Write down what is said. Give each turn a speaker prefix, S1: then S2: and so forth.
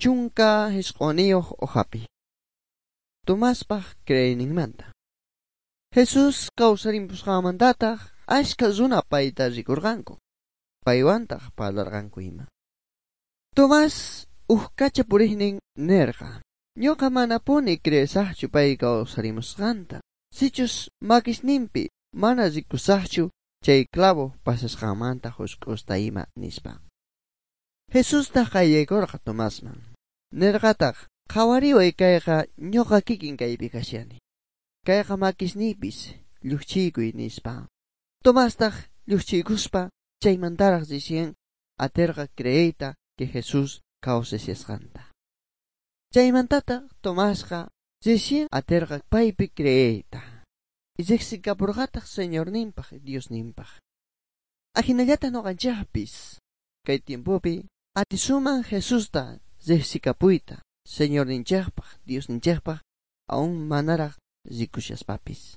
S1: 19 hojapi. Tomaspaj creeyninmanta. Jesus kawsarimpusqanmantataq ashka runa payta rikurqanku. Paywantaq parlarqanku ima. Tomás uj kacha puriqnin nerqa: Ñuqa manapuni creesaqchu pay kawsarimusqanta. Sichus makisninpi mana rikusaqchu chay clavo pasasqanmanta husk'usta ima nispa. Jesustaq qayllaykurqa Tomasman. Nerqataq: Qhawariway kayqa ñuqa kikin kaypi kashani. Kayqa makisniypis lluqchiykuy nispa. Tomastaq lluqchiykuspa chaymantaraq recién aterqa creeyta que Jesús kawsashasqanta. Chaymantataq Tomasqa recién aterqa paypi creeyta. Riqsikapurqataq Señorninpaq Diosninpaq. Ajinallata ñuqanchikpis kay tiempopi atisuman Jesusta riqsikapuyta Señorninchikpaq Diosninchikpaq aún manaraq rikushaspapis.